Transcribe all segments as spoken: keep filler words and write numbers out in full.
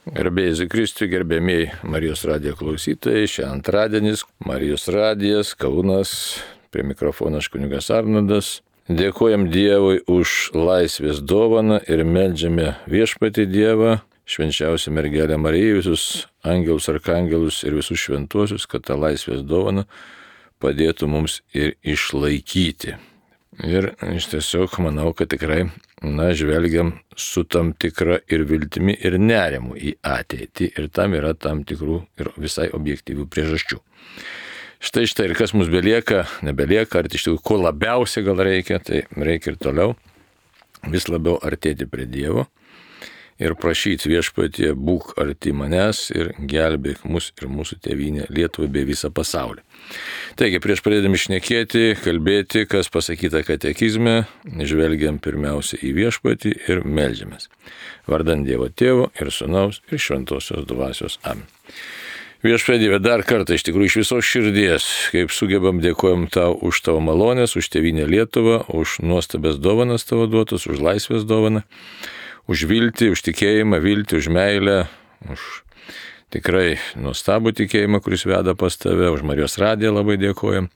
Garbėjai Kristui, gerbėmiai Marijos radijo klausytojai, šią antradienis, Marijos radijas, Kaunas, prie mikrofono aš kunigas Arnoldas. Dėkojam Dievui už laisvės dovaną ir meldžiame viešpatį Dievą, švenčiausią mergelę Mariją, visus angelus, arkangelus ir visus šventuosius, kad tą laisvės dovaną padėtų mums ir išlaikyti. Ir iš tiesiog manau, kad tikrai, na, žvelgiam su tam tikra ir viltimi, ir nerimu į ateitį, ir tam yra tam tikrų ir visai objektyvių priežasčių. Štai štai ir kas mums belieka, nebelieka, ar iš tikrųjų ko labiausiai gal reikia, tai reikia ir toliau vis labiau artėti prie Dievo ir prašyti viešpatie, būk arti manęs ir gelbėk mus ir mūsų tėvynę Lietuvą bei visą pasaulį. Taigi, prieš pradėdami šnekėti, kalbėti, kas pasakyta katekizme, žvelgiam pirmiausia į viešpatį ir meldžiamės. Vardant Dievo Tėvo ir Sūnaus ir Šventosios Dvasios. Amen. Viešpatie Dieve, dar kartą iš tikrųjų iš visos širdies, kaip sugebam, dėkojam tau už tavo malonės, už tėvynę Lietuvą, už nuostabės dovanas tavo duotus, už laisvės dovaną, už viltį, už tikėjimą, viltį, už meilę, už tikrai nuostabų tikėjimą, kuris veda pas tave, už Marijos radiją labai dėkojam.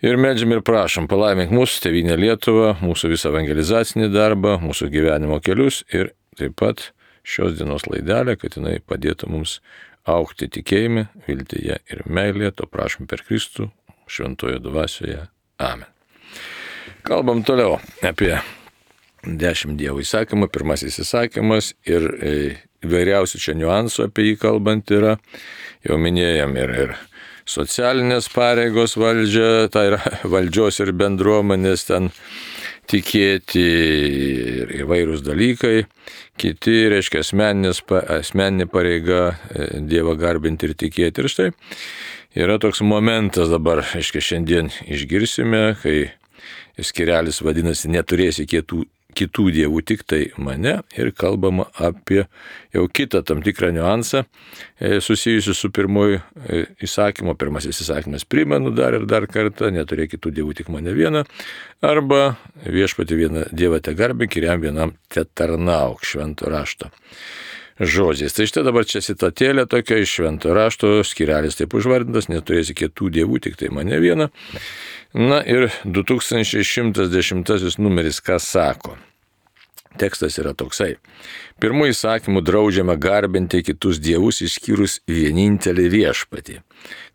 Ir meldžiam ir prašom, palaimink mūsų tėvynę Lietuvą, mūsų visą evangelizacinį darbą, mūsų gyvenimo kelius ir taip pat šios dienos laidelę, kad jinai padėtų mums augti tikėjime, viltyje ir meilėje, to prašom per Kristų, šventojo dvasioje. Amen. Kalbam toliau apie dešimt Dievo įsakymų. Pirmasis įsakymas ir įvairiausių čia niuansų apie jį kalbant yra. Jau minėjom ir, ir socialinės pareigos valdžia, tai yra valdžios ir bendruomenės ten tikėti ir įvairūs dalykai. Kiti, reiškia, asmeninė pareiga Dievą garbinti ir tikėti. Ir štai yra toks momentas dabar, reiškia, šiandien išgirsime, kai skirelis vadinasi neturėsi kitų kitų dievų, tik tai mane, ir kalbama apie jau kitą tam tikrą niuansą susijusiu su pirmoju įsakymu. Pirmasis įsakymas primenu dar ir dar kartą, neturėk kitų dievų, tik mane vieną, arba viešpatį vieną dievą te garbink ir jam vienam te tarnauk, švento rašto žodžiais. Tai štai dabar čia citatėlė tokia iš švento rašto, skirelis taip užvardintas, neturėsi kitų dievų, tik tai mane vieną. Na ir du tūkstančiai šimtas dešimtasis numeris ką sako? Tekstas yra toksai. Pirmų įsakymų draudžiama garbinti kitus dievus išskyrus vienintelį viešpatį,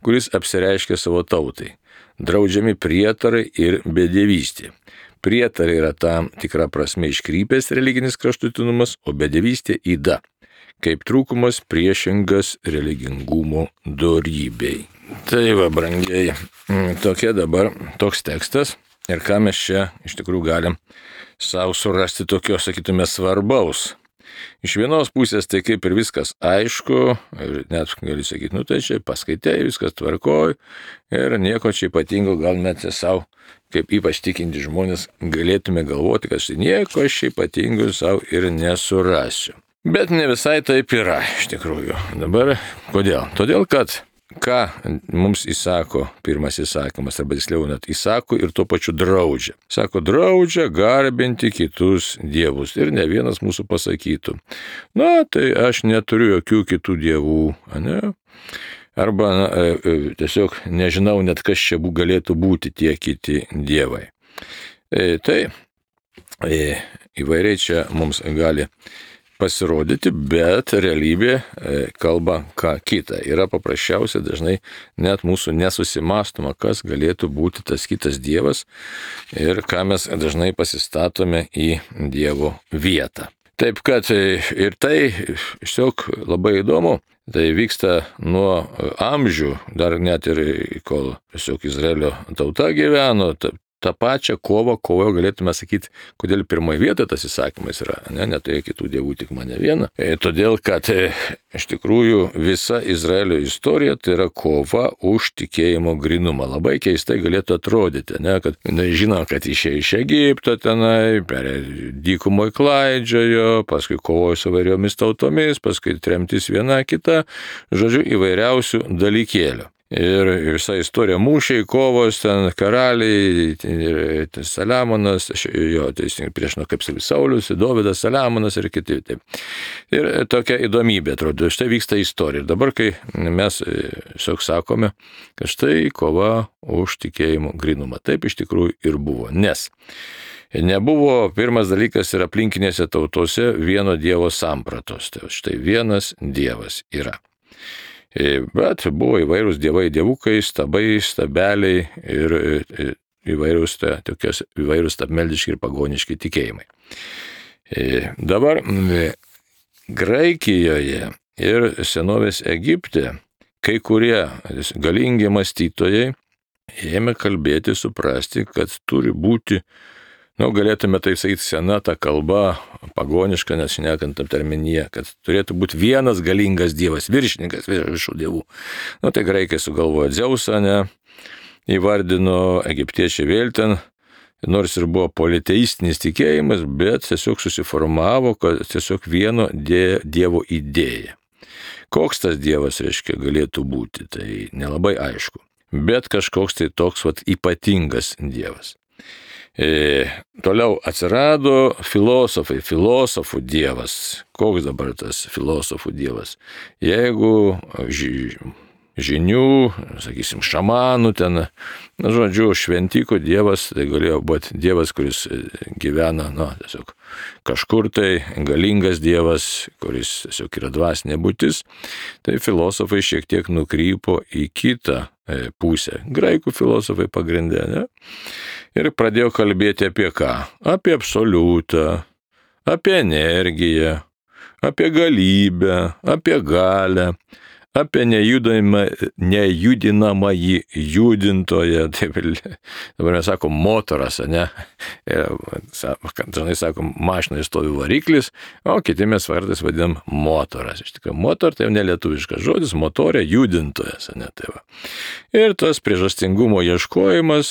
kuris apsireiškia savo tautai. Draudžiami prietarai ir bedevystė. Prietarai yra tam tikra prasme iškrypęs religinis kraštutinumas, o bedevystė yda, kaip trūkumas priešingas religingumo dorybei. Tai va, brangieji, tokia dabar toks tekstas ir ką mes čia iš tikrųjų galim savo surasti tokio, sakytume, svarbaus. Iš vienos pusės tai kaip ir viskas aišku ir net gali sakyti, nu tai čia paskaitai, viskas tvarkoj ir nieko čia ypatingo gal net savo, kaip ypač tikinti žmonės, galėtume galvoti, kad štai nieko aš ypatingo savo ir nesurasiu. Bet ne visai taip yra iš tikrųjų. Dabar kodėl? Todėl, kad ką mums įsako pirmas įsakymas, arba tiksliau net įsako ir tuo pačiu draudžia. Sako, draudžia garbinti kitus dievus. Ir ne vienas mūsų pasakytų, na, tai aš neturiu jokių kitų dievų, ne? Arba na, tiesiog nežinau net kas čia galėtų būti tie kiti dievai. E, tai e, įvairiai čia mums gali pasirodyti, bet realybė kalba ką kita. Yra paprasčiausia dažnai net mūsų nesusimąstoma, kas galėtų būti tas kitas dievas ir ką mes dažnai pasistatome į Dievo vietą. Taip kad ir tai tiesiog labai įdomu. Tai vyksta nuo amžių, dar net ir kol tiesiog Izraelio tauta gyveno, tą pačią kovą, kovojo galėtume sakyti, kodėl pirmoje vietoje tas įsakymas yra, ne, neturėk kitų dievų, tik mane vieną. E, todėl, kad e, iš tikrųjų visa Izraelio istorija tai yra kova už tikėjimo grinumą. Labai keistai galėtų atrodyti, ne, kad na, žinom, kad išėjo iš Egipto tenai, per dykumoje klaidžiojo, paskui kovojo su vairiomis tautomis, paskui tremtis viena kita, žodžiu, įvairiausių dalykėlių. Ir visa istorija mūšiai, kovos, ten karaliai, ir Saliamonas, jo, teisingai prieš, nu, kaip sakai, Saulius, Dovydas, Saliamonas ir kiti. Taip. Ir tokia įdomybė, atrodo, štai vyksta istorija. Ir dabar, kai mes tiesiog sakome, kad štai kova už tikėjimo grinumą. Taip iš tikrųjų ir buvo. Nes nebuvo, pirmas dalykas, ir aplinkinėse tautose vieno dievo sampratos. Tai štai vienas dievas yra. Bet buvo įvairūs dievai, dievukai, stabai, stabeliai ir įvairūs, ta, tokios, įvairūs stabmeldiški ir pagoniški tikėjimai. Dabar Graikijoje ir senovės Egipte kai kurie galingi mąstytojai ėmė kalbėti, suprasti, kad turi būti, nu, galėtume tai sakyti, sena ta kalba, pagoniška, nes šnekant aptarmenyje, kad turėtų būti vienas galingas dievas, viršininkas viršų dievų. Nu, tai graikai sugalvojo Dzeusą, ne, įvardino, egiptiečiai vėl ten, nors ir buvo politeistinis tikėjimas, bet tiesiog susiformavo, kad tiesiog vieno dievo idėja. Koks tas dievas, reiškia, galėtų būti, tai nelabai aišku. Bet kažkoks tai toks vat ypatingas dievas. E, toliau atsirado filosofai, filosofų dievas. Koks dabar tas filosofų dievas? Jeigu ži, žinių, sakysim, šamanų ten, na, žodžiu, šventikų dievas, tai galėjo būti dievas, kuris gyvena, na, tiesiog kažkur tai, galingas dievas, kuris tiesiog yra dvasinė būtis. Tai filosofai šiek tiek nukrypo į kitą pusę. Graikų filosofai pagrindė, ne? Ir pradėjo kalbėti apie ką? Apie absoliutą, apie energiją, apie galybę, apie galią, apie nejudinamąjį judintoją. Taip, dabar mes sakom motoras, ne? Dažnai sakom, mašinai stovi variklis, o kiti mes vardais vadinam motoras. Iš tikrųjų, motor tai jau nelietuviškas žodis, motorė judintojas, ne? Tai va. Ir tas priežastingumo ieškojimas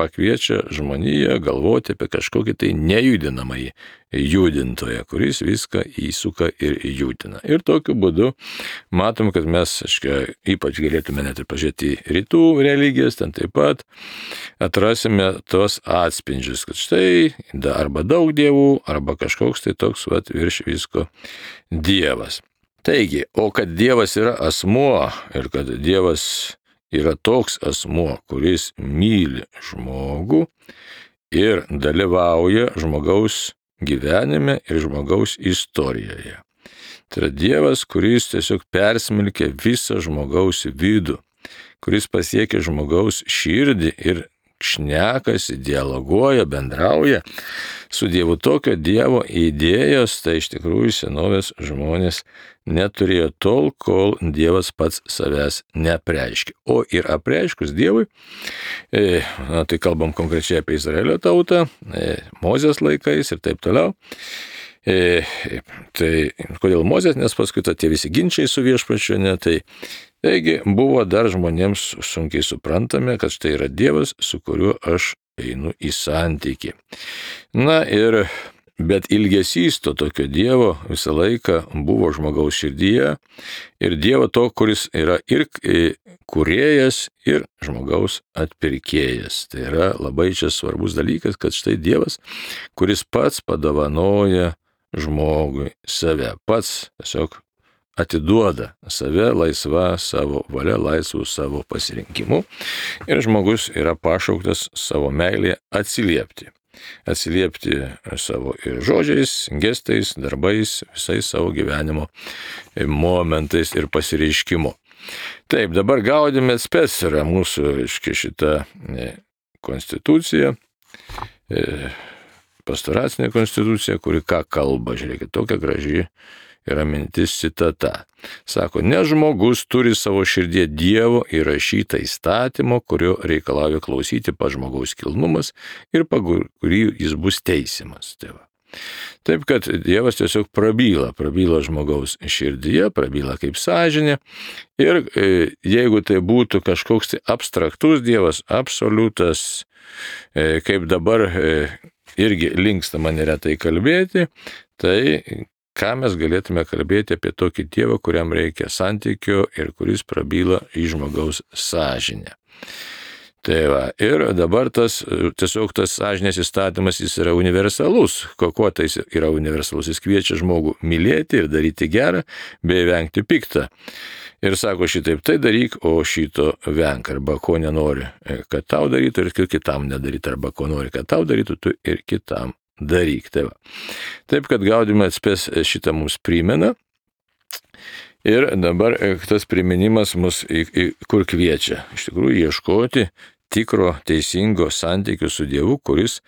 pakviečia žmoniją galvoti apie kažkokį tai nejudinamąjį judintoją, kuris viską įsuka ir judina. Ir tokiu būdu matom, kad mes, aiškiai, ypač galėtume net ir pažiūrėti į rytų religijas, ten taip pat atrasime tos atspindžius, kad štai arba daug dievų, arba kažkoks tai toks vat, virš visko dievas. Taigi, o kad dievas yra asmuo ir kad dievas yra toks asmuo, kuris myli žmogų ir dalyvauja žmogaus gyvenime ir žmogaus istorijoje. Tai yra Dievas, kuris tiesiog persmelkia visą žmogaus vidų, kuris pasiekia žmogaus širdį ir šnekasi, dialoguoja, bendrauja su Dievu. Tokio Dievo idėjos, tai iš tikrųjų senovės žmonės neturėjo tol, kol Dievas pats savęs neapreiškė. O ir apreiškus Dievui, e, na, tai kalbam konkrečiai apie Izraelio tautą, e, Mozės laikais ir taip toliau. E, tai kodėl Mozės, nes paskui tie visi ginčiai su viešpačiu, ne, tai taigi buvo dar žmonėms sunkiai suprantame, kad štai yra Dievas, su kuriuo aš einu į santykį. Na ir, bet ilgesys to tokio Dievo visą laiką buvo žmogaus širdyje ir Dievo to, kuris yra ir kūrėjas, ir žmogaus atpirkėjas. Tai yra labai čia svarbus dalykas, kad štai Dievas, kuris pats padovanoja žmogui save, pats tiesiog atiduoda save laisva savo valia, laisvų savo pasirinkimu ir žmogus yra pašauktas savo meilėje atsiliepti. Atsiliepti savo ir žodžiais, gestais, darbais, visais savo gyvenimo momentais ir pasireiškimu. Taip, dabar gaudime spec yra mūsų, reiškia, šita konstitucija, pastoracinė konstitucija, kuri ką kalba, žiūrėkit, tokia graži yra mintis citata. Sako, ne žmogus turi savo širdie Dievo įrašytą įstatymo, kurio reikalauja klausyti pa žmogaus kilnumas ir pa kurį jis bus teisimas. Tai va. Taip, kad Dievas tiesiog prabyla, prabyla žmogaus širdyje, prabyla kaip sąžinė ir e, jeigu tai būtų kažkoks tai abstraktus Dievas, absoliutas, e, kaip dabar e, irgi linkstama neretai kalbėti, tai ką mes galėtume kalbėti apie tokį Dievą, kuriam reikia santykio ir kuris prabyla į žmogaus sąžinę. Tai va, ir dabar tas, tiesiog tas sąžinės įstatymas, jis yra universalus. Kuo tai yra universalus? Jis kviečia žmogų mylėti ir daryti gerą, bei vengti piktą. Ir sako šitaip, tai daryk, o šito venk, arba ko nenori, kad tau darytų ir kitam nedarytų, arba ko nori, kad tau darytų, tu ir kitam daryk. Tai va. Taip, kad Gaudium et Spes šitą mums primena. Ir dabar tas priminimas mus į, į, kur kviečia. Iš tikrųjų, ieškoti tikro teisingo santykių su Dievu, kuris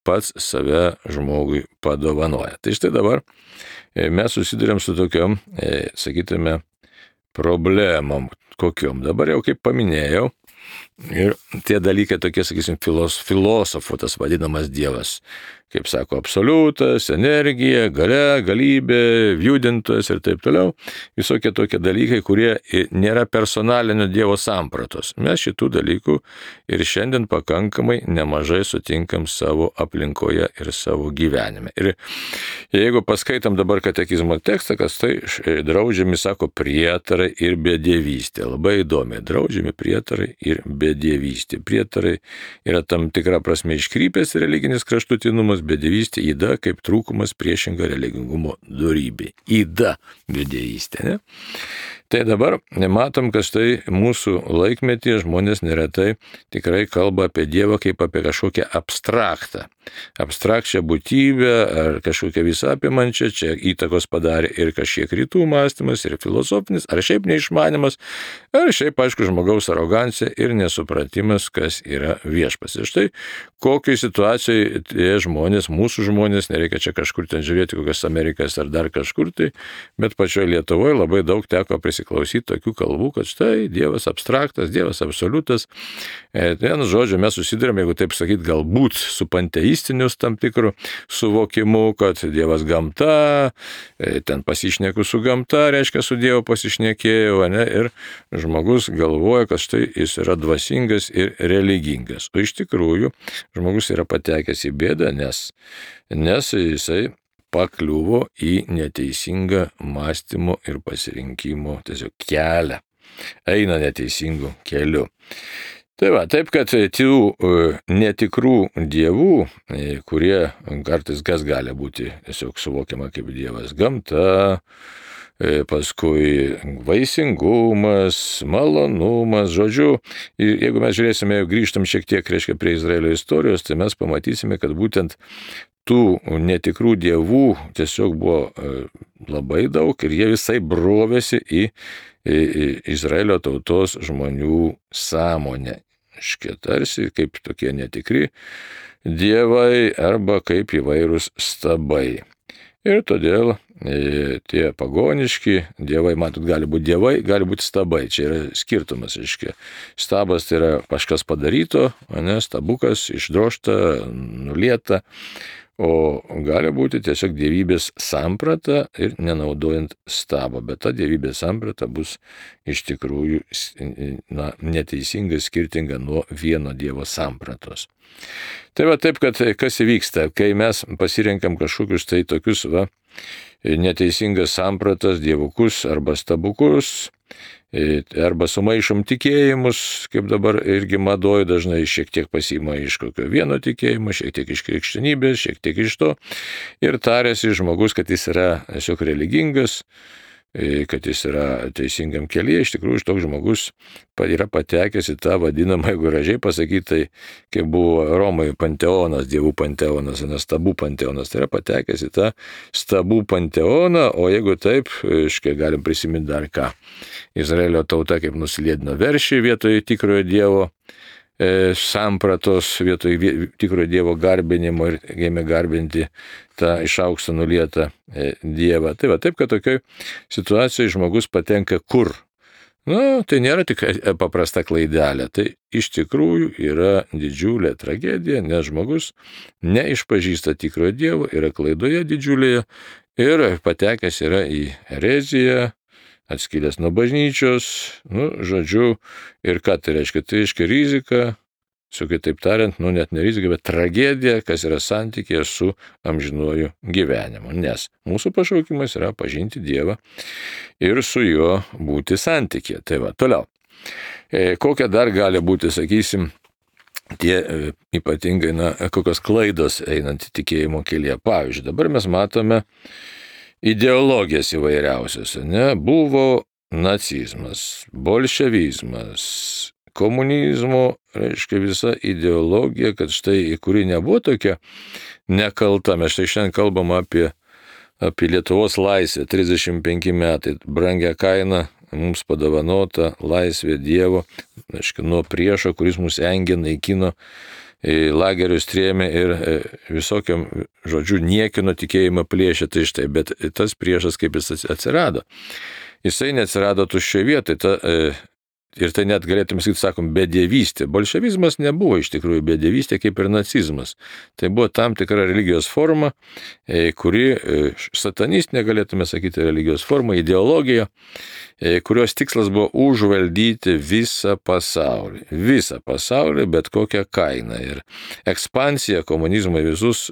pats save žmogui padovanoja. Tai štai dabar mes susidurėm su tokiom, sakytume, problemom. Kokiom? Dabar jau kaip paminėjau, ir tie dalykai tokie, sakysim, filos, filosofų tas vadinamas Dievas. Kaip sako, absoliutas, energija, galia, galybė, judintojas ir taip toliau. Visokie tokie dalykai, kurie nėra personalinio Dievo sampratos. Mes šitų dalykų ir šiandien pakankamai nemažai sutinkam savo aplinkoje ir savo gyvenime. Ir jeigu paskaitam dabar katekizmo tekstą, kas tai draudžiami, sako, prietarai ir bedievystė. Labai įdomi, draudžiami prietarai ir bedievystė. Prietarai yra tam tikra prasme iškrypęs religinis kraštutinumas, bedievystė įda kaip trūkumas priešinga religingumo dorybė. Įda bedievystė, ne? Tai dabar matom, kad štai mūsų laikmetyje žmonės neretai tikrai kalba apie Dievą kaip apie kažkokią abstraktą. Abstrakčią būtybę ar kažkokią visą apimančią, čia įtakos padarė ir kažkiek rytų mąstymas, ir filosofinis, ar šiaip neišmanimas, ar šiaip, aišku, žmogaus arogancija ir nesupratimas, kas yra viešpats. Ir štai kokiai situacijai tie žmonės, mūsų žmonės, nereikia čia kažkur ten žiūrėti, kokias Amerikas ar dar kažkur tai, bet pačioje Lietuvoje labai daug teko prisiklausyti tokių kalbų, kad štai Dievas abstraktas, Dievas absoliutas. Vienu žodžiu, mes susidurėm, jeigu taip sakyti, galbūt su panteistinius tam tikrų suvokimu, kad Dievas gamta, ten pasišneku su gamta, reiškia su Dievu pasišnekėjau, ne, ir žmogus galvoja, kad štai jis yra dvasingas ir religingas. O iš tikrųjų, žmogus yra patekęs į bėdą, nes, nes jisai pakliuvo į neteisingą mąstymo ir pasirinkimo tiesiog kelią. Eina neteisingų kelių. Tai va, taip, kad tų netikrų dievų, kurie kartais kas gali būti tiesiog suvokiama kaip Dievas gamta, paskui vaisingumas, malonumas, žodžiu, jeigu mes žiūrėsime, jau grįžtam šiek tiek, reiškia, prie Izraelio istorijos, tai mes pamatysime, kad būtent tų netikrų dievų tiesiog buvo labai daug ir jie visai brovėsi į, į, į Izraelio tautos žmonių sąmonę. Škia tarsi kaip tokie netikri dievai arba kaip įvairūs stabai. Ir todėl e, tie pagoniški dievai, matot, gali būti dievai, gali būti stabai. Čia yra skirtumas, aiškiai. Stabas tai yra kažkas padaryto, ne, stabukas, išdrošta, nulieta. O gali būti tiesiog dievybės samprata ir nenaudojant stabo, bet ta dievybės samprata bus iš tikrųjų na, neteisinga, skirtinga nuo vieno Dievo sampratos. Tai va taip, kad kas įvyksta, kai mes pasirenkam kažkokius tai tokius va, neteisingas sampratas, dievukus arba stabukus, arba sumaišom tikėjimus, kaip dabar irgi madoje dažnai šiek tiek pasiima iš kokio vieno tikėjimo, šiek tiek iš krikščionybės, šiek tiek iš to, ir tarėsi žmogus, kad jis yra tiesiog religingas, kad jis yra teisingam kelyje. Iš tikrųjų, toks žmogus yra patekęs į tą vadinamą, jeigu gražiai pasakyti, tai kaip buvo Romoje panteonas, dievų panteonas, ne stabų panteonas, tai yra patekęs į tą stabų panteoną, o jeigu taip, iškai galim prisiminti dar ką. Izraelio tauta kaip nuslėdino veršį vietoje tikrojo Dievo e, sampratos, vietoje tikrojo Dievo garbinimo ir ėmė garbinti tą iš aukšto nulietą e, Dievą. Tai va, taip, kad tokioj situacijoje žmogus patenka kur? Na, tai nėra tik paprasta klaidelė, tai iš tikrųjų yra didžiulė tragedija, nes žmogus neišpažįsta tikrojo Dievo, yra klaidoje didžiulėje ir patekęs yra į ereziją, atskilęs nuo bažnyčios, nu, žodžiu, ir ką tai reiškia? Tai reiškia rizika su kitaip tariant, nu net ne rizika, bet tragedija, kas yra santykėje su amžinuoju gyvenimu. Nes mūsų pašaukimas yra pažinti Dievą ir su juo būti santykėje. Tai va, toliau. E, kokia dar gali būti, sakysim, tie e, ypatingai, na, kokios klaidos einant į tikėjimo kelyje. Pavyzdžiui, dabar mes matome ideologijas įvairiausias, ne? Buvo nacizmas, bolševizmas, komunizmo, reiškia visa ideologija, kad štai, kuri nebuvo tokia nekalta. Mes štai šiandien kalbam apie, apie Lietuvos laisvę, trisdešimt penki metai, brangią kainą mums padovanota laisvė Dievo, reiškia, nuo priešo, kuris mus engė, naikino, į lagerius trėmė ir visokiam, žodžiu, niekino tikėjimą plėšė, tai štai, bet tas priešas kaip jis atsirado. Jisai neatsirado tuščioje vietoje, ta, ir tai net galėtume sakyti, sakom, bedievystė. Bolševizmas nebuvo iš tikrųjų bedievystė kaip ir nacizmas. Tai buvo tam tikra religijos forma, kuri, satanistinė galėtume sakyti religijos forma, ideologija, kurios tikslas buvo užvaldyti visą pasaulį. Visą pasaulį, bet kokią kainą. Ir ekspansija komunizmo į visus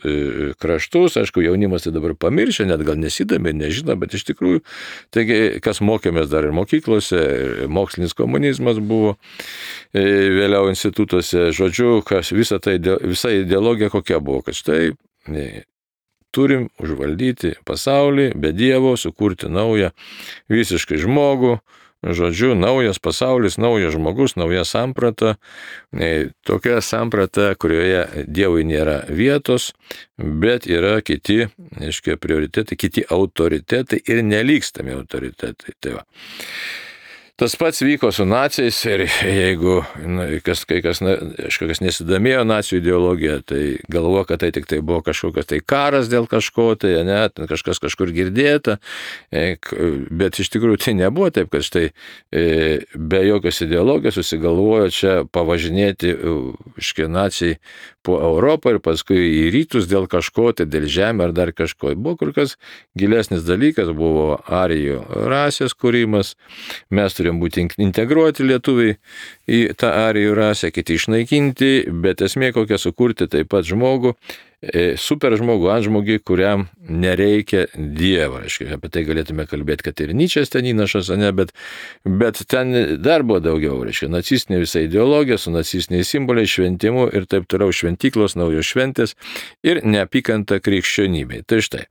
kraštus, aišku, jaunimas tai dabar pamiršė, net gal nesidami, nežino, bet iš tikrųjų, taigi, kas mokėmės dar ir mokyklose, ir mokslinis komunizmas buvo, vėliau institutuose, žodžiu, kas visa, tai, visa ideologija kokia buvo, kad štai turim užvaldyti pasaulį, be Dievo, sukurti naują visiškai žmogų, žodžiu, naujas pasaulis, naujas žmogus, nauja samprata, tokia samprata, kurioje Dievui nėra vietos, bet yra kiti, aiškiai, prioritetai, kiti autoritetai ir nelygstami autoritetai. Tai va. Tas pats vyko su naciais ir jeigu na, kas, kai kas, na, kažkas nesidomėjo nacijų ideologija, tai galvo, kad tai tik tai buvo kažkokios tai karas dėl kažko, tai ne, kažkas kažkur girdėta, bet iš tikrųjų tai nebuvo taip, kad štai be jokios ideologijos susigalvojo čia pavažinėti iškie nacijai po Europą ir paskui į rytus dėl kažko, tai dėl žemė ar dar kažko. Buvo kur kas gilesnis dalykas, buvo arijų rasės kūrimas, mes turėjome būti integruoti lietuviai į tą arijų rasę, kiti išnaikinti, bet esmė kokia sukurti taip pat žmogų, super žmogų, antžmogį, kuriam nereikia Dievo. Apie tai galėtume kalbėti, kad ir Nyčės ten įnašas, ne, bet, bet ten dar buvo daugiau. Reiškia, nacistinė visa ideologija su nacistiniais simboliais, šventimu ir taip toliau, šventyklos, naujos šventės ir neapykanta krikščionybei. Tai štai.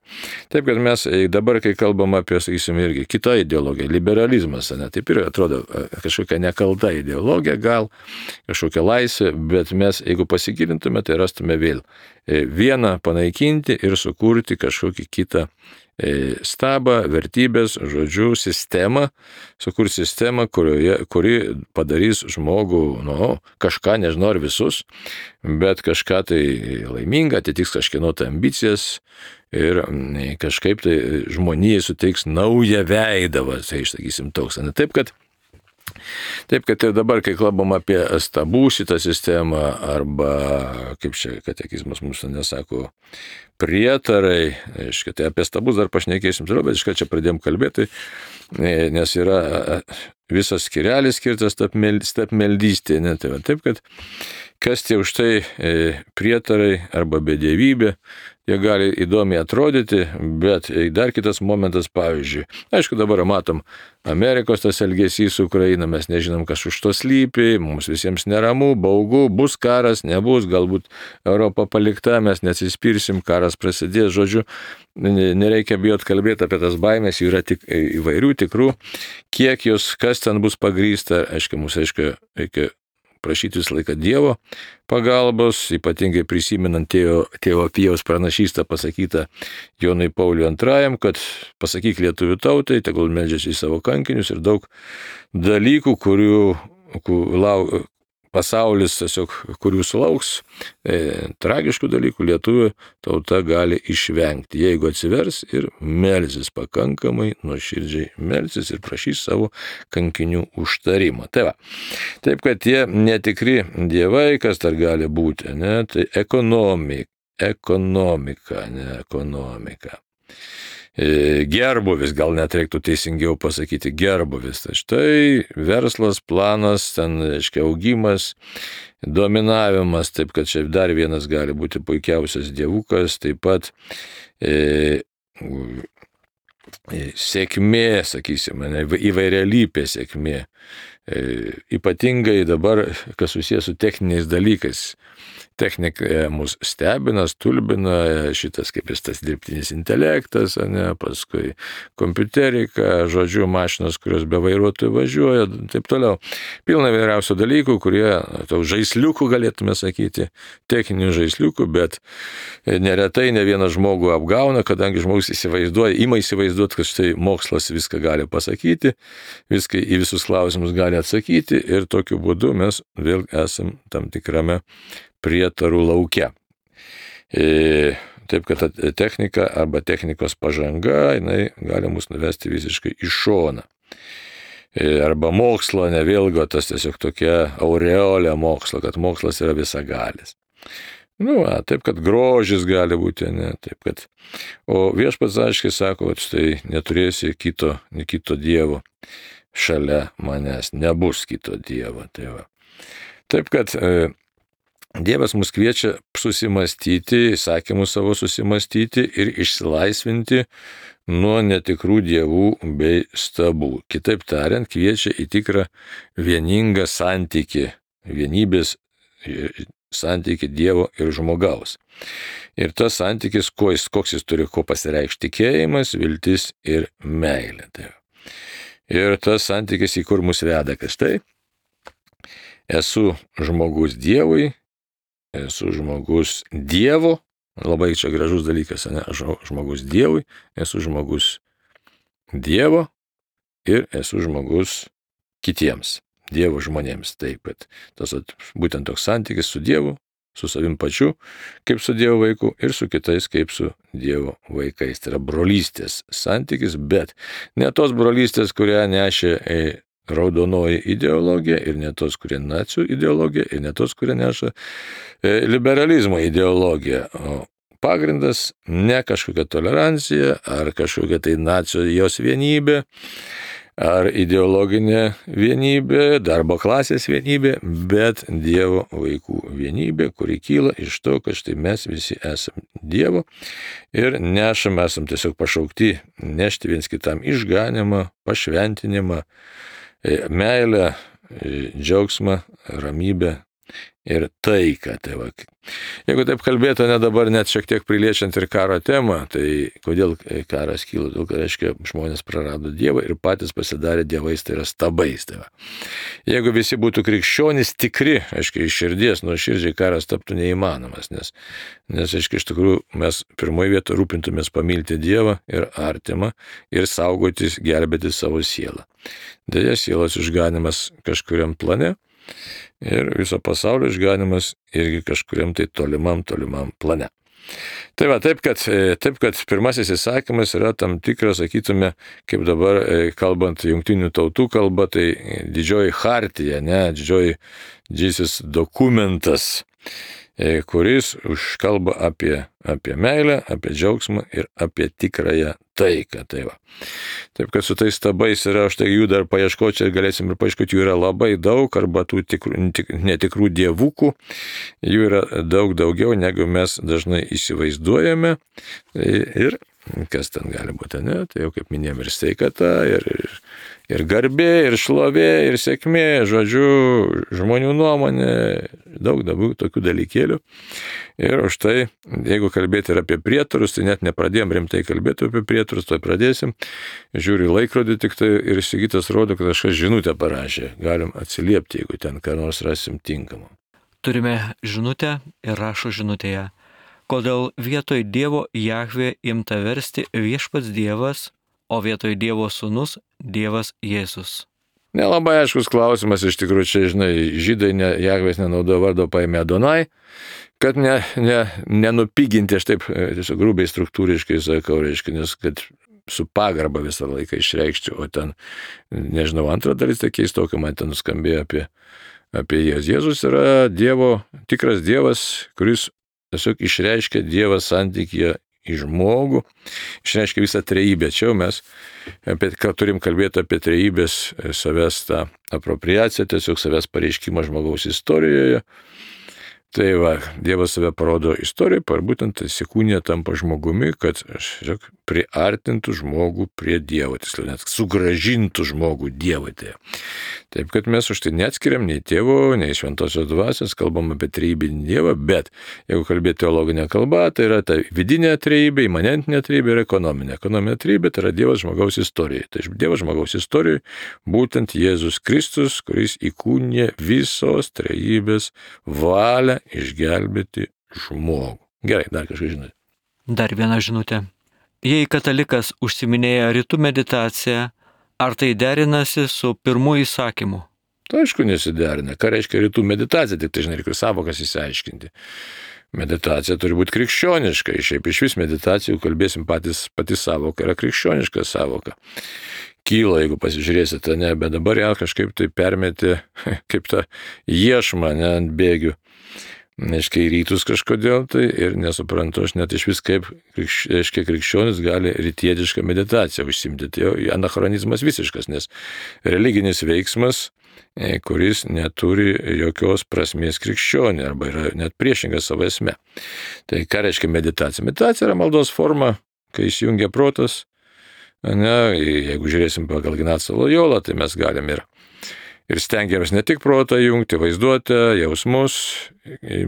Taip, kad mes dabar, kai kalbam apie, sakysim, irgi kitą ideologiją, liberalizmas, ne, taip ir atrodo kažkokia nekalta ideologija, gal kažkokia laisvė, bet mes, jeigu pasigilintume, tai rastume vėl vieną panaikinti ir sukurti kažkokį kitą stabą, vertybės, žodžių, sistemą, sukurti sistemą, kurioje, kuri padarys žmogų, nu, kažką, nežinau ar visus, bet kažką tai laimingą, atitiks kažkieno tai ambicijas ir kažkaip tai žmonijai suteiks naują veidą, va, tai išsakysim toks. Ne taip, kad Taip, kad ir dabar, kai kalbam apie stabų šitą sistemą, arba, kaip čia katekizmas mums nesako, prietarai, aiškia, tai apie stabus dar pašnekėsim toliau, bet iškai čia pradėjom kalbėti, nes yra visas skirelis skirtas stabmeldystė, ne, tai va, taip, kad kas tie už tai prietarai arba bedievybė, jie gali įdomiai atrodyti, bet dar kitas momentas, pavyzdžiui, aišku, dabar matom Amerikos tas elgesys su Ukraina, mes nežinom, kas už to slypi, mums visiems neramu, baugu, bus karas, nebus, galbūt Europa palikta, mes neatsispirsim, karas prasidės, žodžiu, nereikia bijot kalbėti apie tas baimės, jų yra tik įvairių tikrų, kiek jos, kas ten bus pagrįsta, aišku, mums aišku, reikia prašyti visą laiką Dievo pagalbos, ypatingai prisimenant tėvo, tėvo Pijaus pranašystę pasakytą Jonui Pauliui antrajam, kad pasakyk lietuvių tautai, tegul meldžiasi į savo kankinius ir daug dalykų, kurių, kurių pasaulis tiesiog, kurių sulauks, e, tragiškų dalykų lietuvių tauta gali išvengti, jeigu atsivers ir melsis pakankamai, nuoširdžiai melsis ir prašys savo kankinių užtarimo. Tai va, taip, kad tie netikri dievai, kas dar gali būti, ne, tai ekonomika, ekonomika, ne, ekonomika. gerbuvis, gal net reiktų teisingiau pasakyti gerbuvis. Tai štai verslas, planas, ten, reiškia, augimas, dominavimas, taip kad čia dar vienas gali būti puikiausias dievukas, taip pat e, sėkmė, sakysime, įvairialypė sėkmė. E, ypatingai dabar, kas susijęs su techniniais dalykais. Technika mus stebina, stulbina, šitas kaip jis tas dirbtinis intelektas, ne, paskui kompiuterika, žodžiu, mašinos, kurios be vairuotojų važiuoja, taip toliau. Pilna vairiausių dalykų, kurie, tau žaisliukų galėtume sakyti, techninių žaisliukų, bet neretai ne vieną žmogų apgauna, kadangi žmogus įsivaizduoja, ima įsivaizduoti, kad štai mokslas viską gali pasakyti, viską į visus klausimus gali atsakyti ir tokiu būdu mes vėl esam tam tikrame prietarų lauke. E, taip, kad technika arba technikos pažanga, jinai gali mus nuvesti visiškai į šoną. E, arba mokslo, ne vėlgo, tas tiesiog tokia aureolė mokslo, kad mokslas yra visagalis. Nu, a, taip, kad grožis gali būti, ne, taip, kad. O viešpats aiškiai sako, kad štai neturėsi kito, ne kito dievo šalia manęs, nebus kito dievo. Tai va. Taip, kad e, Dievas mus kviečia susimastyti, įsakymus savo susimastyti ir išsilaisvinti nuo netikrų dievų bei stabų. Kitaip tariant, kviečia į tikrą vieningą santykį, vienybės santykį Dievo ir žmogaus. Ir tas santykis, koks jis turi, ko pasireikšti, tikėjimas, viltis ir meilė. Tai. Ir tas santykis, į kur mus veda, kas tai? Esu žmogus Dievui, esu žmogus Dievo, labai čia gražus dalykas, ne? Žmogus Dievui, esu žmogus Dievo ir esu žmogus kitiems, Dievo žmonėms. Taip, kad tas būtent toks santykis su Dievu, su savim pačiu, kaip su Dievo vaiku ir su kitais, kaip su Dievo vaikais. Tai yra brolystės santykis, bet ne tos brolystės, kurią nešė raudonoji ideologija ir ne tos, kurie nacių ideologija ir ne tos, kurie neša liberalizmo ideologija. O pagrindas ne kažkokia tolerancija ar kažkokia tai nacijos vienybė ar ideologinė vienybė, darbo klasės vienybė, bet Dievo vaikų vienybė, kuri kyla iš to, kad štai mes visi esame Dievo ir nešam, esam tiesiog pašaukti nešti viens kitam išganimą, pašventinimą, meilę, džiaugsmą, ramybę ir taiką. Tai va. Jeigu taip kalbėtų, ne dabar net šiek tiek priliečiant ir karo temą, tai kodėl karas kyla? Dėl, kad, reiškia, žmonės prarado Dievą ir patys pasidarė dievais, tai yra stabais. Tai va. Jeigu visi būtų krikščionys tikri, aiškiai, iš širdies, nuo širdžiai karas taptų neįmanomas, nes, nes aiškiai, iš tikrųjų, mes pirmoje vietoje rūpintumės pamilti Dievą ir artimą ir saugotis, gelbėti savo sielą. Deja, sielos išganimas kažkuriam plane ir viso pasaulio išganimas irgi kažkuriam tai tolimam, tolimam plane. Tai va, taip kad, taip, kad pirmasis įsakymas yra tam tikras, sakytume, kaip dabar kalbant jungtinių tautų kalba, tai didžioji chartija, ne, didžioji didžiasis dokumentas, kuris užkalba apie, apie meilę, apie džiaugsmą ir apie tikrąją taiką. Tai va. Taip, kad su tais stabais yra, štai jų dar paieškoti, čia galėsim ir paieškoti, jų yra labai daug, arba tų tikrų, netikrų dievukų, jų yra daug daugiau, negu mes dažnai įsivaizduojame. Ir kas ten gali būti, ne? Tai jau kaip minėjom ir sveikata, ir, ir, ir garbė, ir šlovė, ir sėkmė, žodžiu, žmonių nuomonė, daug daug tokių dalykėlių. Ir už tai, jeigu kalbėti ir apie prietarus, tai net nepradėjom rimtai kalbėti apie prietarus, tai pradėsim. Žiūriu laikrodį tik tai ir Sigitas rodo, kad kažkas žinutę parašė. Galim atsiliepti, jeigu ten ką nors rasim tinkamą. Turime žinutę ir rašo žinutėje. Kodėl vietoj Dievo Jahvė imta versti viešpats Dievas, o vietoj Dievo sūnus Dievas Jėzus? Nelabai aiškus klausimas, iš tikrųjų, čia, žinai, žydai ne, Jahvės nenaudojo vardo, paėmė Adonai, kad ne, ne, nenupiginti, aš taip tiesiog grubiai struktūriškai sakau, reiškia, nes kad su pagarba visą laiką išreikšti, o ten, nežinau, antra dalis, tai keistokai man ten nuskambėjo apie, apie Jėzus. Jėzus yra Dievo, tikras Dievas, kuris tiesiog išreiškia Dievą santykyje į žmogų, išreiškia visą trejybę. Čia mes apie, turim kalbėti apie trejybės savęs tą apropriaciją, tiesiog savęs pareiškimą žmogaus istorijoje. Tai va, Dievas save parodo istorijoje, par būtent įsikūnija tampa žmogumi, kad žiūrėk, priartintų žmogų prie Dievo, tiksliau net sugražintų žmogų Dievui. Taip, kad mes už tai neatskiriam nei tėvo, nei šventosios dvasios, kalbam apie trejybinį Dievą, bet jeigu kalbėti teologinę kalbą, tai yra ta vidinė trejybė, imanentinė trejybė ir ekonominė. Ekonominė trejybė tai yra Dievas žmogaus istorijoje. Tai Dievas žmogaus istorijoje būtent Jėzus Kristus, kuris įkūnija visos trejybės valią išgelbėti žmogų. Gerai, dar kažką žinote. Dar viena žinutė. Jei katalikas užsiminėja rytų meditaciją, ar tai derinasi su pirmu įsakymu? Tai aišku nesiderina. Ką reiškia rytų meditacija, tik tai žinai, reikia savokas įsiaiškinti. Meditacija turi būti krikščioniška. Šiaip iš vis meditacijų kalbėsim patys, pati savoka yra krikščioniška savoka. Kyla, jeigu pasižiūrėsite, ne, bet dabar ją kažkaip tai permetė kaip tą iešmą, ne, ant bėgių. Neškia į rytus kažkodėl tai ir nesuprantu aš net iš vis kaip reiškia krikščionis gali rytietišką meditaciją užsimti. Tai jau anachronizmas visiškas, nes religinis veiksmas, kuris neturi jokios prasmės krikščionį arba yra net priešingas savo esme. Tai ką reiškia meditacija? Meditacija yra maldos forma, kai įsijungia protas. Ne, jeigu žiūrėsim pagal Ignacą Lojolą, tai mes galim ir Ir stengiamės ne tik protą jungti, vaizduotę, jausmus,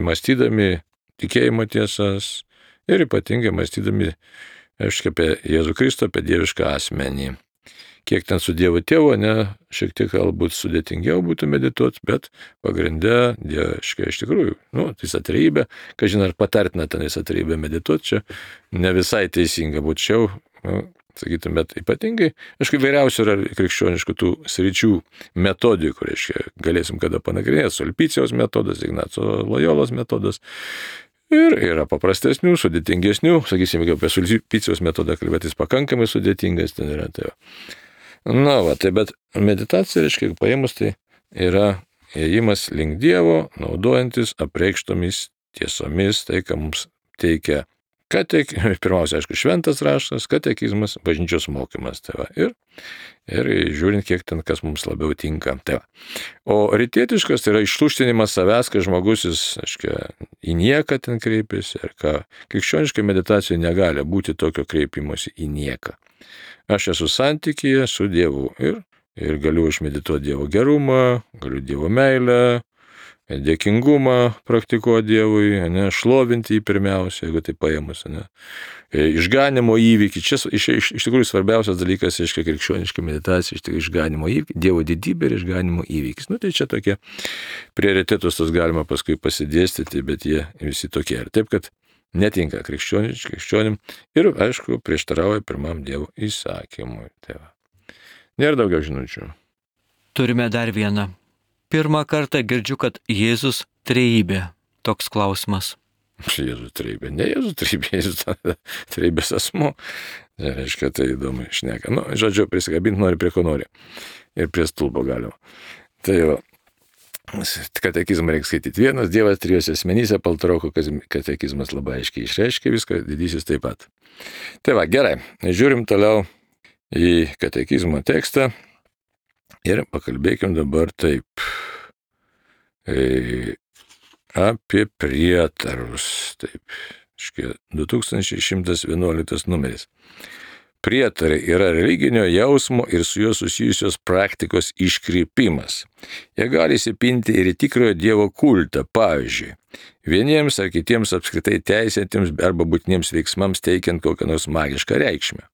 mąstydami tikėjimo tiesas ir ypatingai mąstydami aiškiai apie Jėzų Kristų, apie dievišką asmenį. Kiek ten su Dievo tėvu, ne, šiek tiek galbūt sudėtingiau būtų medituoti, bet pagrinde, dieviškai iš tikrųjų, nu, visą trejybę, kažin ar patartina ten visą trejybę medituoti, čia ne visai teisinga būčiau, nu, sakytum, bet ypatingai, aišku, vairiausių yra krikščioniškų tų sričių metodikų, reiškia, galėsim kada panagrinėti, Sulpicijos metodas, Ignaco Lojolos metodas, ir yra paprastesnių, sudėtingesnių, sakysim, jeigu apie Sulpicijos metodą kalbėtis pakankamai sudėtingas, ten yra tai. Na, va, tai bet meditacija, reiškia, paėmus, tai yra ėjimas link Dievo, naudojantis apreikštomis tiesomis, tai, ką mums teikia Katek, pirmiausia, aišku, šventas raštas, katekizmas, bažnyčios mokymas. Tai va, ir, ir žiūrint, kiek ten kas mums labiau tinka. Tai va. O rytietiškas tai yra ištuštinimas savęs, kai žmogus jis, aiškia, į nieką ten kreipiasi. Ir ką krikščioniškai meditacijoje negali būti tokio kreipimosi į nieką. Aš esu santykyje su Dievu ir, ir galiu išmedituoti Dievo gerumą, galiu Dievo meilę, dėkingumą praktikuoti Dievui, ne, šlovinti jį pirmiausia, jeigu tai paėmus, ne, išganimo įvykį. Čia iš, iš, iš tikrųjų svarbiausias dalykas, aiškiai, krikščioniška meditacija, iš tikrųjų išganimo įvykį, Dievo didybė ir išganimo įvykis. Nu, tai čia tokie prioritetus tos galima paskui pasidėstyti, bet jie visi tokie. Ir taip, kad netinka krikščionim ir, aišku, prieštarauja pirmam Dievo įsakymui. Tai va. Nėra daugiau žinučių. Turime dar vieną. Pirmą kartą girdžiu, kad Jėzus trejybė. Toks klausimas. Jėzus trejybė. Ne Jėzus trejybė, Jėzus trejybės asmuo. Tai reiškia, tai įdomu šneka. Nu, žodžiu, prisikabinti nori prie ko nori. Ir prie stulpo galima. Tai va, katekizmą reikia skaityti vienas, Dievas trijose asmenyse, Paltaroko katekizmas labai aiškiai išreiškia viską, didysis taip pat. Tai va, gerai, žiūrim toliau į katekizmo tekstą. Ir pakalbėkim dabar taip e, apie prietarus. Taip, škia, du tūkstančiai šimtas vienuoliktas numeris. Prietarai yra religinio jausmo ir su juo susijusios praktikos iškrypimas. Jie gali įsipinti ir į tikrojo Dievo kultą, pavyzdžiui, vieniems ar kitiems apskritai teisėtiems arba būtiniems veiksmams teikiant kokią nors magišką reikšmę.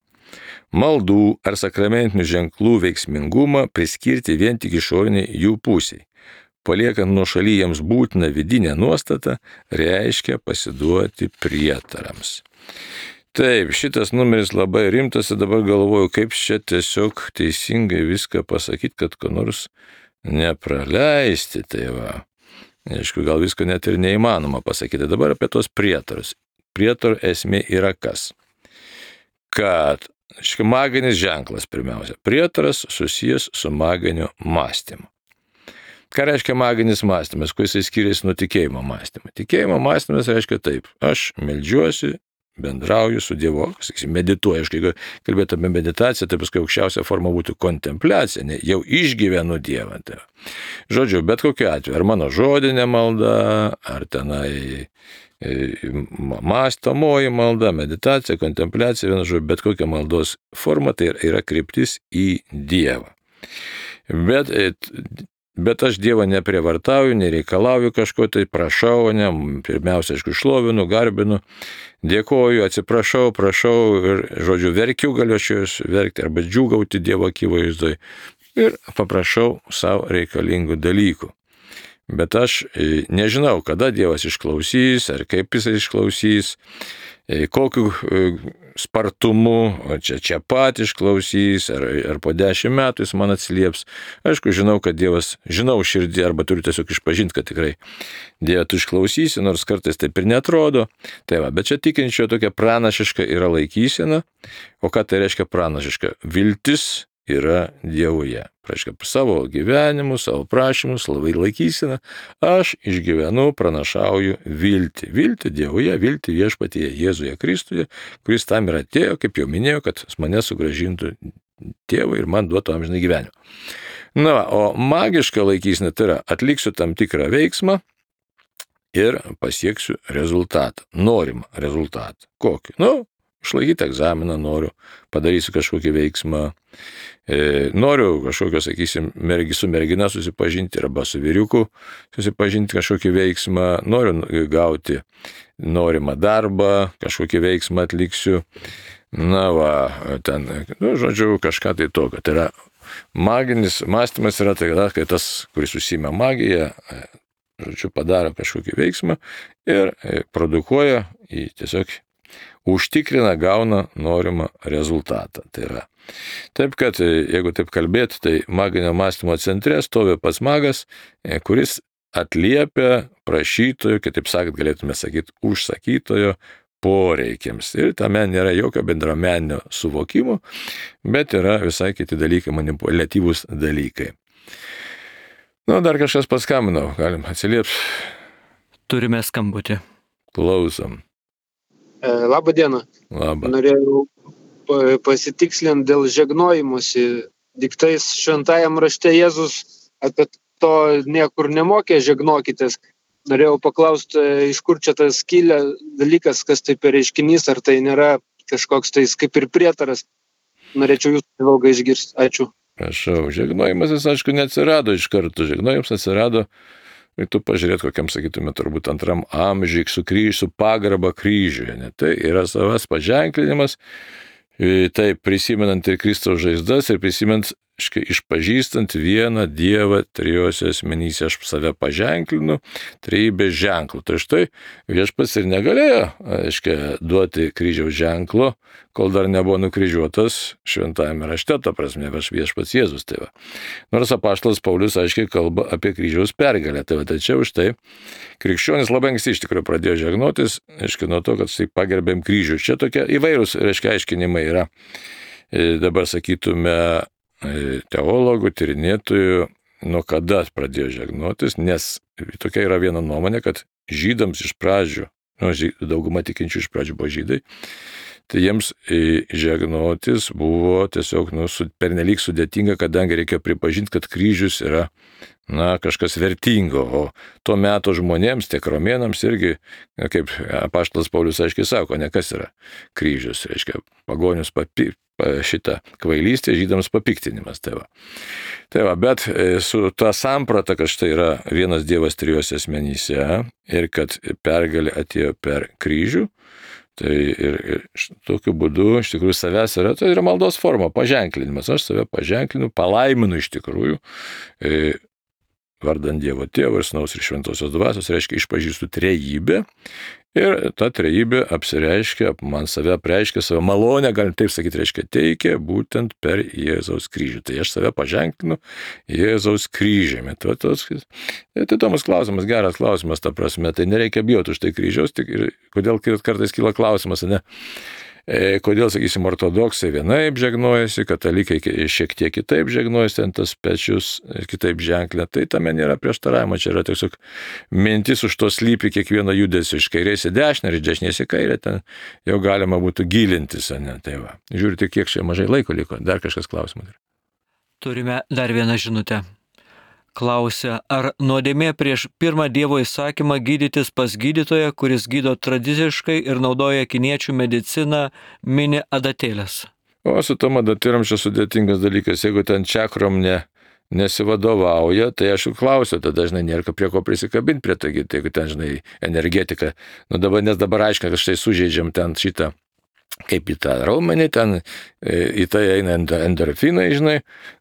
Maldų ar sakramentinių ženklų veiksmingumą priskirti vien tik išoriniai jų pusiai. Paliekant nuošaly jiems būtiną vidinę nuostatą, reiškia pasiduoti prietarams. Taip, šitas numeris labai rimtas ir dabar galvoju, kaip čia tiesiog teisingai viską pasakyti, kad ko nors nepraleisti. Tai va, aišku, gal visko net ir neįmanoma pasakyti. Dabar apie tos prietarus. Prietarų esmė yra kas? Kad Škia maginis ženklas pirmiausia. Prietaras susijęs su maginiu mąstymu. Ką reiškia maginis mąstymas, kuo jisai skiriasi nuo tikėjimo mąstymo? Tikėjimo mąstymas reiškia taip. Aš meldžiuosi, bendrauju su Dievu, sakysim, medituoju. Aš, jeigu kalbėtų apie meditaciją, tai paskui aukščiausia forma būtų kontempliacija, ne, jau išgyvenu Dievą. Tai. Žodžiu, bet kokiu atveju, ar mano žodinė malda, ar tenai mąstomoji malda, meditacija, kontempliacija, vienu žodžiu, bet kokia maldos forma, tai yra kryptis į Dievą. Bet, bet aš Dievą neprievartauju, nereikalauju kažko, tai prašau, ne, pirmiausia, aišku, šlovinu, garbinu, dėkoju, atsiprašau, prašau ir, žodžiu, verkiu, galiu aš jūs verkti arba džiūgauti Dievo akivaizdoje ir paprašau savo reikalingų dalykų. Bet aš nežinau, kada Dievas išklausys, ar kaip jis išklausys, kokiu spartumu, čia čia pat išklausys, ar, ar po dešimt metų jis man atsilieps. Aišku, žinau, kad Dievas, žinau širdį, arba turiu tiesiog išpažinti, kad tikrai Dievą tu išklausysi, nors kartais taip ir netrodo. Tai va, bet čia tikinčio tokia pranašiška yra laikysena. O ką tai reiškia pranašiška? Viltis yra Dievuje. Reiškia, savo gyvenimu, savo prašymus, labai laikysena, aš išgyvenu, pranašauju viltį. Viltį Dievuje, viltį viešpatyje Jėzuje Kristuje, kuris tam ir atėjo, kaip jau minėjau, kad mane sugrąžintų tėvui ir man duotų amžinai gyvenimą. Na, o magiška laikysena tai yra atliksiu tam tikrą veiksmą ir pasieksiu rezultatą, norimą rezultatą. Kokį? Nu, išlaikyti egzaminą noriu, padarysiu kažkokį veiksmą, e, noriu kažkokio, sakysim, mergi, su mergina susipažinti arba su vyriuku susipažinti kažkokį veiksmą, noriu gauti norimą darbą, kažkokį veiksmą atliksiu, na va, ten, nu, žodžiu, kažką tai tokio. Tai yra maginis mąstymas yra tai, kai tas, kuris užsiima magiją, žodžiu, padaro kažkokį veiksmą ir produkuoja į tiesiog užtikrina, gauna norimą rezultatą. Tai yra. Taip, kad jeigu taip kalbėti, tai maginio mąstymo centre stovi pats magas, kuris atliepia prašytojo, kitaip sakant, galėtume sakyti, užsakytojo poreikiams. Ir tame nėra jokio bendrameninio suvokimo, bet yra visai kiti dalykai, manipuliatyvūs dalykai. Nu, dar kažkas paskambino, galim atsiliepti. Turime skambutį. Klausom. Labą dieną. Labą. Norėjau pasitikslinti dėl žegnojimusi. Diktais šventajam rašte Jėzus apie to niekur nemokė žegnokitės. Norėjau paklausti, iš kur čia tas kilę dalykas, kas tai per reiškinys, ar tai nėra kažkoks tai kaip ir prietaras. Norėčiau jūsų įvalgą išgirsti. Ačiū. Prašau, žegnojimas jis, aišku, neatsirado iš karto. Žegnojimas atsirado, ir tu pažiūrėt, kokiam, sakytume, turbūt antram amžiui, su kryžiu, su pagarba kryžiuje. Ne? Tai yra savas paženklinimas, taip prisimenant ir Kristaus žaizdas, ir prisimenant, išpažįstant vieną Dievą trijose asmenyse, aš save paženklinu, trejybės ženklų. Tai štai viešpats ir negalėjo, aiškiai, duoti kryžiaus ženklo, kol dar nebuvo nukryžiuotas šventajame rašte, ta prasme, viešpats Jėzus. Tai va. Nors apaštalas Paulius aiškiai kalba apie kryžiaus pergalę. Tai va, tačiau štai krikščionis labai anksti iš tikrųjų pradėjo žegnotis, aiškiai, nuo to, kad tai pagerbėm kryžių. Čia tokie įvairūs, reiškia, aiškinimai yra. Dabar sakytume, teologų, tyrinėtojų, nuo kada pradėjo žegnotis, nes tokia yra viena nuomonė, kad žydams iš pradžių, nu, dauguma tikinčių iš pradžių buvo žydai, tai jiems žegnotis buvo tiesiog nu, pernelyg sudėtinga, kadangi reikia pripažinti, kad kryžius yra na, kažkas vertingo, o tuo metu žmonėms, tiek romėnams irgi, kaip apaštalas Paulius aiškiai sako, ne kas yra kryžius, reiškia pagonius papi, šitą kvailystę, žydams papiktinimas. Tai va. Tai va, bet su ta samprata, kad štai yra vienas Dievas trijose asmenyse ir kad pergalė atėjo per kryžių, tai ir, ir tokiu būdu iš tikrųjų savęs yra, tai yra maldos forma, paženklinimas. Aš save paženklinu, palaiminu iš tikrųjų, e, vardant Dievo Tėvo ir Sūnaus ir Šventosios Dvasios, reiškia išpažįstu trejybę ir ta trejybė apsireiškia, man save apreiškia, save malonę, galim taip sakyti, reiškia teikia būtent per Jėzaus kryžių. Tai aš save paženklinu Jėzaus kryžiumi. Tai, tai įdomus klausimas, geras klausimas, ta prasme, tai nereikia bijoti už tai kryžiaus, tik ir kodėl kartais kyla klausimas, ne? E, kodėl, sakysim, ortodoksai vienaip žegnojasi, katalikai šiek tiek kitaip žegnojasi, ten tas pečius kitaip ženklė. Tai tame nėra prieštaravimo, čia yra tiesiog mintis už to slypi kiekvieno judesio iš kairės į dešinę ir iš dešinės į kairę, ten jau galima būtų gilintis, ne? Tai va. Žiūrite, kiek čia mažai laiko liko. Dar kažkas klausimas. Turime dar vieną žinutę. Klausia, ar nuodėmė prieš pirmą Dievo įsakymą gydytis pas gydytoją, kuris gydo tradiciškai ir naudoja kiniečių mediciną, mini adatėlės? O su tom adatėlėm čia sudėtingas dalykas. Jeigu ten čakrom ne, nesivadovauja, tai aš klausiu, tada dažnai nėra prie ko prisikabinti prie to, jeigu ten, žinai, energetika. Nu dabar, nes dabar aiškina, kad štai sužeidžiam ten šitą, kaip į tą raumenį, ten į tai eina endorfinai, žinai,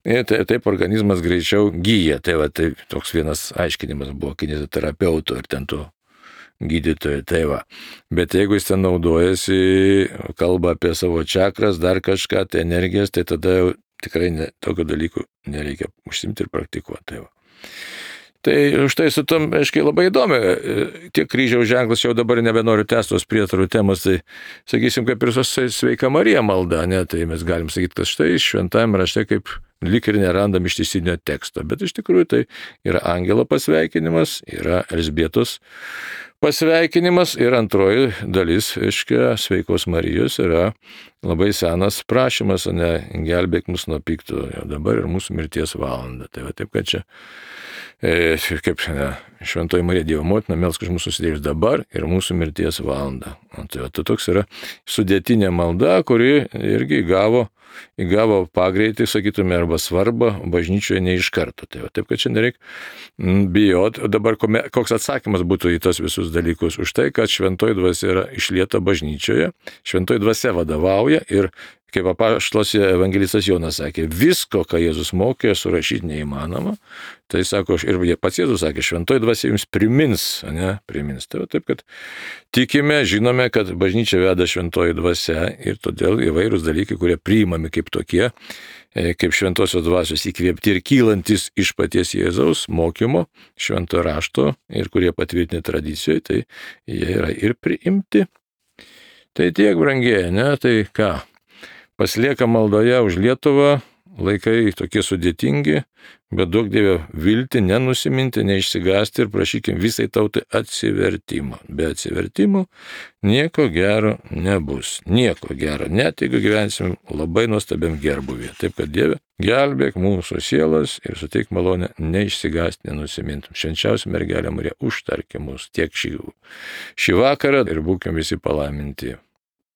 ir taip organizmas greičiau gyja. Tai va, tai toks vienas aiškinimas buvo kineziterapeutų ir ten tų gydytojų, tai va. Bet jeigu jis ten naudojasi, kalba apie savo čakras, dar kažką, tai energijas, tai tada jau tikrai ne, tokio dalykų nereikia užsimti ir praktikuoti. Tai va. Tai štai su tom, aiškiai, labai įdomi. Tiek kryžiaus ženklas, jau dabar nebenoriu tęsti tos prietarų temos, tai sakysim, kaip ir Sveika Marija malda, ne, tai mes galim sakyti, kad štai šventajame rašte kaip lyg ir nerandam ištisinio teksto, bet iš tikrųjų tai yra angelo pasveikinimas, yra Elzbietos pasveikinimas ir antroji dalis, aiškia, Sveikos Marijos yra labai senas prašymas, o ne gelbėk mus nuo pikto, jau dabar ir mūsų mirties valanda. Tai va taip, kad čia E, kaip ne, Šventoji Marija Dievo motina, melsk už mūsų nusidėjus dabar ir mūsų mirties valandą. Tai, tai toks yra sudėtinė malda, kuri irgi įgavo, įgavo pagreitį, sakytume, arba svarbą bažnyčioje ne iš karto. Tai va, taip, kad čia nereikia bijot. Dabar koks atsakymas būtų į tos visus dalykus? Už tai, kad šventoji dvasia yra išlieta bažnyčioje, šventoji dvasia vadovauja ir kaip apaštalas evangelistas Jonas sakė, visko, ką Jėzus mokė, surašyti neįmanoma. Tai sako, ir pats Jėzus sakė, šventoji dvasia jums primins, ne, primins. Tai va, taip, kad tikime, žinome, kad bažnyčia veda šventoji dvasia ir todėl įvairūs dalykai, kurie priimami kaip tokie, kaip šventosios dvasios įkvėpti ir kylantis iš paties Jėzaus mokymo, švento rašto ir kurie patvirtinti tradicijoje, tai jie yra ir priimti. Tai tiek, brangieji, ne, tai ką? Pasilieka maldoje už Lietuvą, laikai tokie sudėtingi, bet duok Dieve viltį, nenusiminti, neišsigąsti ir prašykim visai tautai atsivertimo. Be atsivertimo nieko gero nebus. Nieko gero, net jeigu gyvensim labai nuostabiam gerbuvį. Taip kad Dieve, gelbėk mūsų sielas ir suteik malonę neišsigąsti, nenusimintum. Švenčiausia mergelė Marija, užtarki mus tiek šį, šį vakarą ir būkim visi palaiminti